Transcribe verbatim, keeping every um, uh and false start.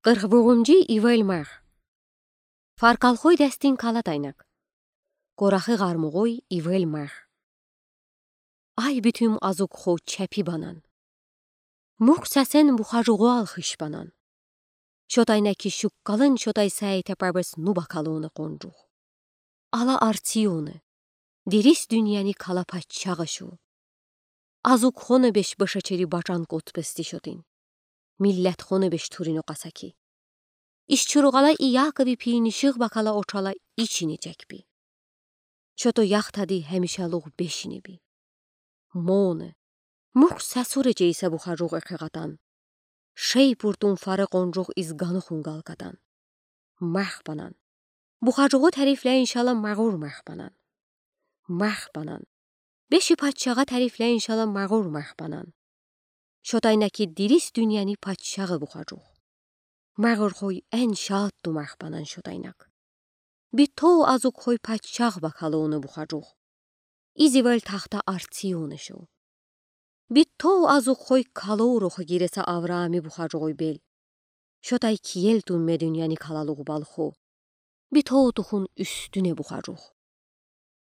Къырх вурунгу ивел мар. Фаркалхой дестин калад айнак. Корахы гъармугой ивел мар. Ай битим азуг хо чапи банан. Мух сасен бухажугу алхыш банан. Шотай на ки шуккалын шотай саи тапабес нуба калуны къонжух. Ала артиуны. Дерис дуняни кала паччагъы шу. Азуг хоны беш башачери бачан котбести шотин. Миллет хоны беш турин окъасаки. Иш чуругъала и якови пийнишиг бакала очала ичини чекби. Шото яхтади хемишалугъ бешини би. Моны. Мух сасуре чейса бухажугъ экъегъатан. Шей пуртун фары къонжух из ганухун галкатан. Мах банан. Бухажугъу тарифлейин шала магъур мах банан. Мах банан. Беши паччагъа тарифлейин шала магъур мах банан. Шотай на ки дерис дуняни паччагъы бухажух. Магъур хой эн шаатду мах банан шотай нак. Битоу азуг хой паччагъ бакалуны бухажух. Из ивел тахта артиуны шу. Битоу азуг хой калоу роху гиреса Авраами бухажугъуй бел. Шотай киел тунме дуняни калалугъ балху. Битоу тухун уьстюне бухажух.